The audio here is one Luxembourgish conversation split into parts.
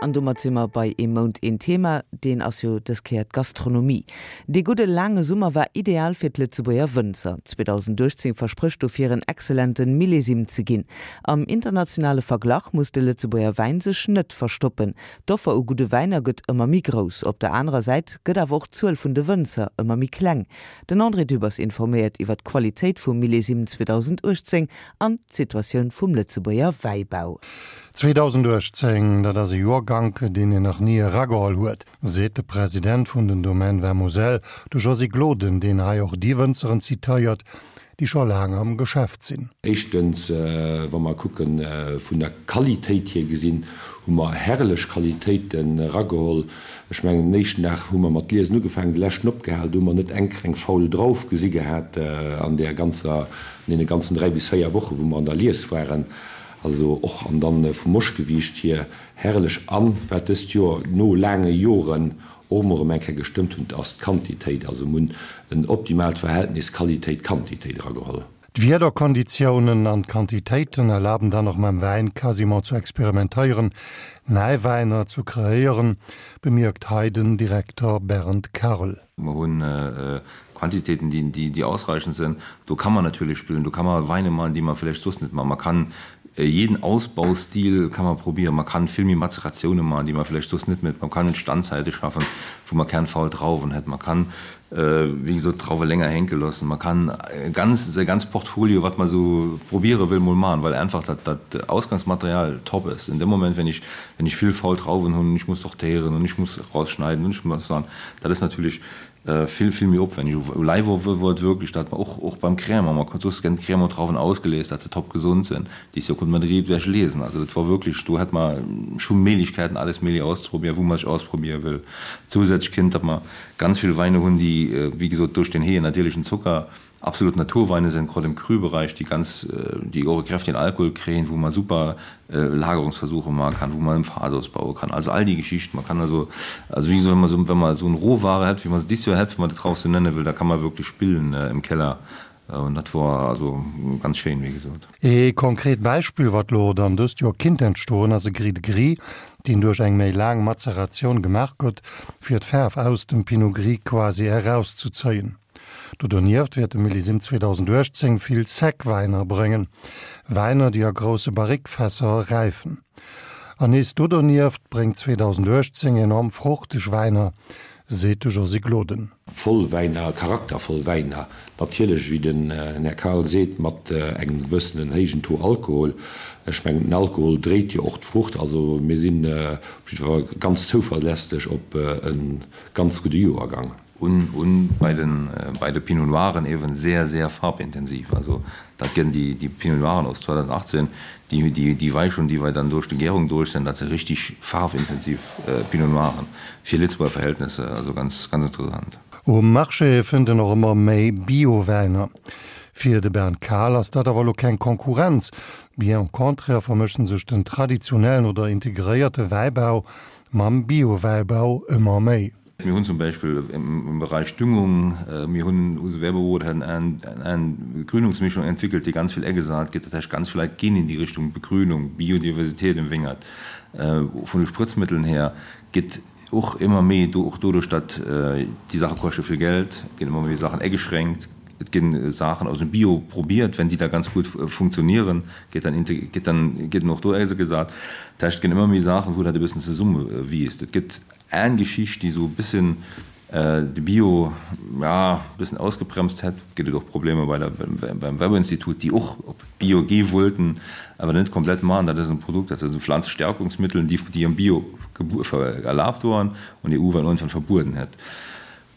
An domat si mer bei Ee Mount, een Thema. Deen ass jo dës Kéier d'Gastronomie. Dee gudde laange Summer war ideal fir d'Lëtzebuerger Wënzer. 2018 versprécht dofir en excellente Millésime ze ginn. Am internationale Verglach muss de Lëtzebuerger Wäin sech net verstoppen. D'Offer u gudde Wäiner gëtt ëmmer méi grouss. Op der anerer Säit gëtt awer och d'Zuel vun de Wënzer ëmmer méi kleng. Den André Dübbers informéiert iwwer d'Qualitéit vum Millésime 2018 an d'Situatioun vum Lëtzebuerger Wäibau. 2018, dat ass e Joergank, deen een nach ni erageholl huet, seet de President vun den Domaines Vin Moselle, de Josy Gloden, deen hei och déi Wënzeren zitéiert, déi scho laang am Geschäft sinn. Éischtens, wa mer kucke vun der Qualitéit hier gesinn, hu mer herrlech Qualitéiten erageholl. Ech mengen, den éischten Dag hu mer mat Liesen ugefaangen, de leschten opgehal. Do hu mer net eng kleng faul Drauf gesi gehat an där ganzer, an deene ganzen 3 bis 4 Wochen, wou mer an der Lies waren. Also och, an dann vum Moschgewiicht hier herrlech. An wat dëst Joer no laange Joren och emol erëm eng Kéier gestëmmt hunn, ass d'Quantitéit. Also mir hunn en optimaalt Verhältnis Qualitéit-Quantitéit erageholl. D'Wiederkonditiounen an d'Quantitéiten erlaben dann och mam Wäin quasiment zu experimentéieren, nei Wäiner zu kreéieren, bemierkt hei den Direkter Bernd Karl. Mer hunn Quantitéiten, déi ausreichend sinn. Do kann man natierlech spillen, do kann man Weine man, déi man vläicht soss net man. Man kann jeden Ausbaustil kann man probieren, man kann vill méi Mazeratioune man, déi man vläicht soss net mécht. Man kann Standzäite schaffen, wou man keng faul Drauwen hätt. Man kann wéi gesot d'Drauwe länger hänke loossen. Man kann ganz säi ganz Portfolio, wat man esou probiere wëll, mol man, well einfach dat dat Ausgangsmaterial top ass. In dem Moment, wenn ich wenn ich vill faul Drauwen hunn, ich muss sortéieren und ich muss rausschneiden und ich muss man, dat ass natierlech vill vill méi opwänneg. U Leiwer wor et wierklech, dat mer och och beim Crémant, mer konnt soss ginn d'Crémant-Drauwen ausgelies, dat se top gesond sinn. Déi Joer konnt mer direkt ewech liesen. Also dat wor wierklech, do hätt mer scho Méiglechkeiten alles Méigleche auszeprobieren, wou mer sech ausprobiere wëll. Zousätzlech kënnt, datt mer ganz vill Weine hunn, déi wéi gesot duerch den héije natierlechen Zocker absolut Naturweine sinn, grad im Cru-Bereich, déi ganz, déi och e kräftigen Alkohol kréien, wou mer super Lagerungsversuche maache kann, wou mer im Fass ausbaue kann. Also all déi Geschichten. Man kann also, also wéi gesot, wa mer esou, wa mer esou en Rohware hätt, wéi mer se dis Joer hätt, wa mer dat Traufe sou nenne wëll, da kann mer wierklech spillen im Keller. An dat wor also ganz schéin, wéi gesot. Ee konkret Beispill, wat lo dann dëst Joer kinnt entstoen, ass e Gris de Gris, deen duerch eng méi laang Mazeratioun gemaach gëtt, fir d'Faarf aus dem Pinot Gris quasi erauszuzéien. Do donieft wäert de Millésime 2018 vill Sec-Wäiner bréngen, Wäiner, déi a grousse Barrique-Fässer räifen. An nees do donieft bréngt 2018 enorm fruchteg Wäiner, seet de Josy Gloden. Voll Wäiner, charaktervoll Wäiner, natierlech, wéi den Här Karl seet, mat engem gewëssenen héijen Taux Alkohol. Ech mengen, den Alkohol dréit jo och d'Frucht. Also mir sinn op jidde Fall ganz zouverlässeg op e ganz gudde Joergang. Un bei den bei de Pinot Noiren eben sehr sehr farbintensiv. Also dat gënn déi déi Pinot Noiren aus 2018, déi déi déi Weichung déi wei dann duerch de Gärung duerch sinn, dat si richtig farvintensiv Pinot Noiren fir Lëtzebuerger Verhältnisse, also ganz ganz interessant. Um Marché fënnt een och ëmmer méi Bio-Wäiner. Fir de Bernd Kahl ass dat awer elo keng Konkurrenz, bien au contraire vermëschen sech den traditionellen oder integréierte Wäibau mam Bio-Wäibau ëmmer méi. Mir hunn zum Beispill im Bereich Düngung, mir hunn, unser Werbebüro hat eng Begrünungsmischung entwickelt, déi ganz vill agesat gëtt. Dat heißt, ganz vill Leit ginn in die Richtung Begrünung, Biodiversität im Wéngert. Vun de Sprëtzmëtteln her gëtt och ëmmer méi, och doduerch, datt déi Saache koschte vill Geld, ginn ëmmer méi Saachen ageschränkt. Et ginn Saachen aus dem Bio probiert, wenn déi da ganz gutt funktionieren, gëtt dann, gëtt dann, gëtt och do agesat. Dat heißt, et ginn ëmmer méi Saachen, wou dat e bëssen zesummewiisst. Et gëtt Eng Geschicht, déi esou e bëssen de Bio, ja, e bëssen ausgebremst hätt. Gëtt et och Problemer bei der, beim Weber-Institut, déi och op Bio gi wollten, awer net komplett maachen. Dat ass en Produkt, dat ass e Pflanzestärkungsmittel, déi, déi am Bio erlaabt waren und d'EU dann irgendwann verbueden hätt.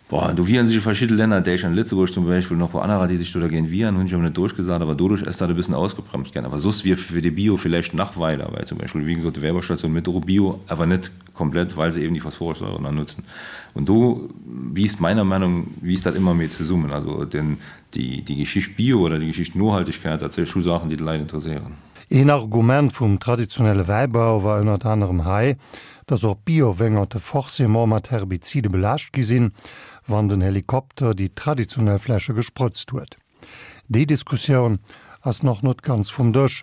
Bon, an do wieren sech verschidde Länner, Däitschland, Lëtzebuerg zum Beispill, an och e puer anerer, déi sech do dergéint wieren, hunn sech awer net duerchgesat. Awer doduerch ass dat e bëssen ausgebremst ginn. Awer soss wier fir de Bio villäicht nach weider, well zum Beispill, wéi gesot, d'Wäibaustation mécht och Bio, awer net komplett, well se eben déi Phosphorsäure nach nutzen. Und do wiisst meiner Meinung wiisst dat ëmmer méi zesummen. Also den, déi, déi Geschicht Bio oder déi Geschicht Nohaltegkeit, dat si scho Saachen, déi d'Leit interesséieren. Een Argument vum traditionelle Wäibau war ënnert anerem hei, dass och Bio-Wéngerte forcément mat Herbizide belaascht gi sinn, wann den Helikopter déi traditionell Fläche gesprëtzt huet. Déi Diskussioun ass nach net ganz vum Dësch,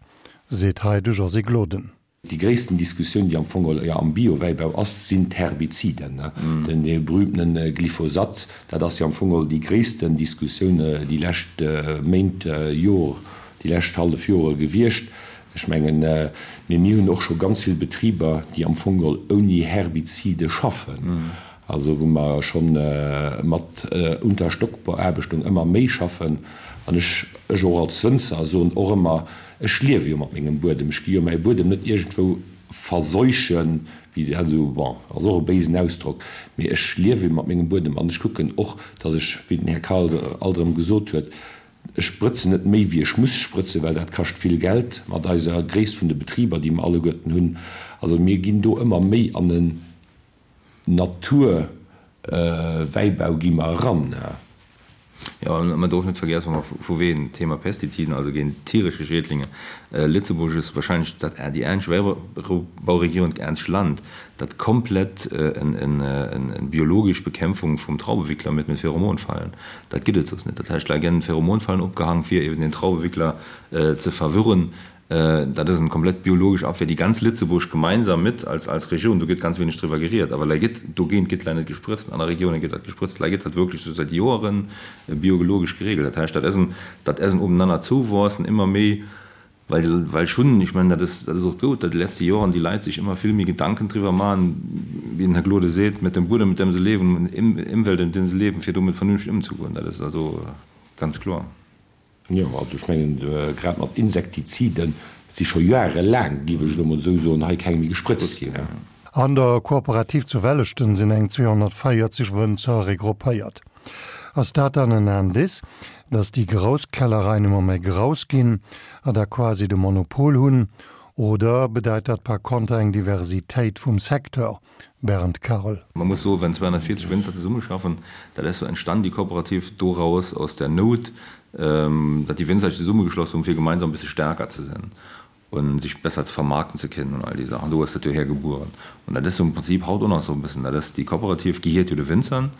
seet hei de Josy Gloden. Déi gréissten Diskussioun, déi am Fong geholl jo am Biowäibau ass, sinn d'Herbiziden, den dee berühmtene Glyphosat. Dat ass jo am Fong geholl déi gréissten Diskussioun déi lescht Méint, Jor, déi lescht hallef Jore gewiescht. Ech mengen, mee mir hunn och scho ganz vill Betriber, déi am Fong geholl ouni Herbizide schaffen, also wou mer scho mat Unterstockbeaarbechtung ëmmer méi schaffen. An ech, ech och als Wënzer soen och ëmmer, Ech liewe jo mat mengem Buedem, ech gi jo mäi Buedem net iergendwou verseuchen, wéi dat esou, bon, ass och e béisen Ausdrock, mee ech liewe mat mengem Buedem an ech kucken och, datt ech, wéi den Här Karl alt erëm gesot huet, ech sprëtzen net méi wéi ech muss sprëtzen, well dat kascht vill Geld mat eiser Gréisst vun de Betriber, déi mer alleguerten hunn. Also mir ginn do ëmmer méi an en Naturwäibau gi mer eran. Jo, an man dorf net vergessen, wa mer vu wegen Thema Pestiziden, also géint tierische Schädlinge, Lëtzebuerg ass wahrscheinlech dat déi eenzeg Wäibauregioun, dat eenzegt Land, dat komplett en biologesch Bekämpfung vum Traubewickler mit mit Pheromonfallen, dat gëtt et soss net. Dat heescht, lei ginn Pheromonfallen opgehang, fir eben den Traubewickler ze verwirren. Dat ass en komplett biologesch Abwehr, déi ganz Lëtzebuerg gemeinsam mit als als Regioun, do gëtt ganz wéineg driwwer geriet, awer lei gëtt dogéint gëtt lei net gesprëtzt, an aner Regiounen gëtt dat gesprëtzt, lei gëtt dat wierklech sou säit Joeren biologesch geregelt. Dat heescht, dat ass en dat ass en obenanner zouwuassen ëmmer méi, well well schonn, ech mengen, dat ass dat ass och goud, datt déi letzte Joren déi Leit sech ëmmer vill méi Gedanken driwwer maachen, wéi den Här Gloden seet, mit dem Buedem, mit dem se leben, Ëmwelt, in dem se leben, fir domat vernünfteg ëmzegoen. Dat ass also ganz kloer. Jo, also ech mengen, grad mat Insektizide si scho joerelaang, géif ech elo mol esou soen, hei keng méi gesprëtzt ginn. An der Kooperativ zu Welleschten sinn eng 240 Wënzer regroupéiert. Ass dat dann en Indice, datt déi grouss Kellereien ëmmer méi grouss ginn a da quasi de Monopol hunn? Oder bedeit dat par konter eng Diversitéit vum Secteur? Bernd Karl. Man muss soen, wenn 240 Winzer zesummeschaffen, dat ass so entstanden die Kooperativ doraus aus der Not, datt die Winzer sich zesummegeschloss hunn, fir gemeinsam e bësse stärker ze sinn und sich besser ze vermarkten ze kennen und all déi Saachen. Do ass dat jo hergebueren. Und dat ass so im Prinzip haut och nach esou e bëssen. Dat ass, déi Kooperativ gehiert jo de Winzern.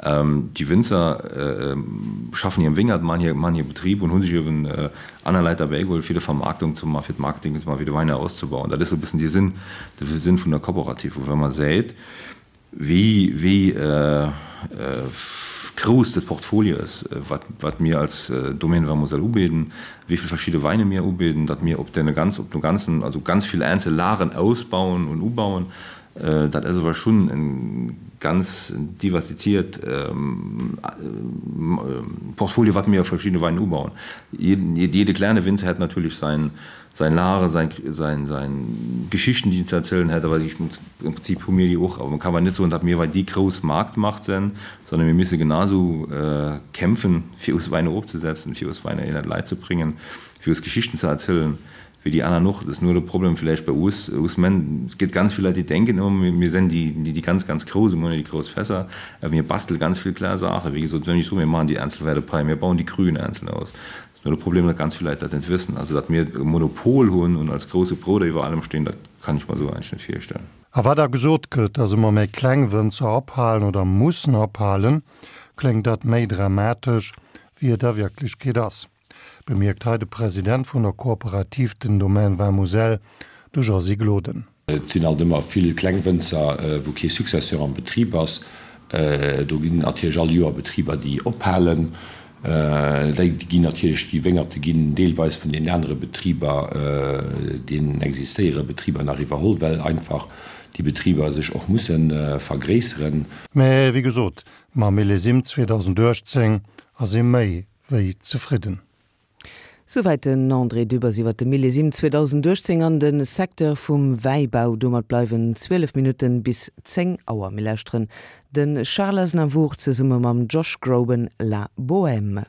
Déi Winzer schaffen hir Wéngert, man hir, man hir Betrib und hunn sich eben aner Leit derbäigeholt, fir de Vermarktung ze man, fir d'Marketing ze man, fir de Weiner auszebauen. Dat ass esou e bëssen dee Sinn, de Sinn vun der Kooperativ. Wou wa mer säit, wéi, wéi grouss dat Portfolio ass, wat, wat mir als Domaine Vin Moselle ubidden, wéi vill verschidde Weine mir ubidden, datt mir op deene ganz, op dem ganzen, also ganz vill einzel Lagen ausbauen und ubauen, Dat ass awer schonn e ganz diversifiziert Portfolio, wat mir a verschiddene Weinen ubauen. Jede kleine Winzer hätt natierlech sein Lage, sein Geschichten, déi en ze erzielen hätt, awer im Prinzip hu mir déi och. Awer man kann awer net soen, datt mir déi grouss Marktmacht sinn, sondern mir müsse genauso kämpfen, fir us Weine ofzesetzen, fir us Weine in d'Leit ze bringen, fir us Geschichten ze erzielen. Wéi déi aner och. Et ass nur de Problem villäicht bei us, us men, et gëtt ganz vill Leit déi denken ëmmer mir sinn déi, déi ganz ganz Grouss, mir hunn déi grouss Fässer, awer mir bastele ganz vill kleng Saachen. Wéi gesot, wenn ech soen, mir maachen déi einzel Wärdepei, mir bauen déi Cruen einzeln aus, ass nur de Problem, datt ganz vill Leit dat net wëssen. Also datt mir e Monopol hunn und als grouse Bruder iwwer allem stinn, dat kann ech mer esou eigentlech net virstellen. A wat da gesot gëtt, datt ëmmer méi kleng Wënzer ophalen oder mussen ophalen, kléngt dat méi dramatesch, wéi et a Wierklechkeet ass. Bemierkt hei de President vun der Kooperativ den Domaine Vin Moselle, de Josy Gloden. Et sinn alt ëmmer vill kleng Wënzer, wou kee Successeur am Betrib ass. Do ginn natierlech all Joer Betriber, déi ophalen. Déi ginn natierlech, déi Wéngerte ginn deelweis vun deenen anere Betriber, deenen existéiere Betriber nach iwwerholl, well einfach déi Betriber sech och musse vergréisseren. Mä wéi gesot, mam Millésime 2018 ass ee méi wéi zefridden. Souwäit den André Dübbers iwwer de Millésime 2018 an de Secteur vum Wäibau. Domat bleiwen 12 Minutten bis 10 Auer. Mir lauschteren de Charles Aznavour zesumme mam Josh Groban, La Bohème.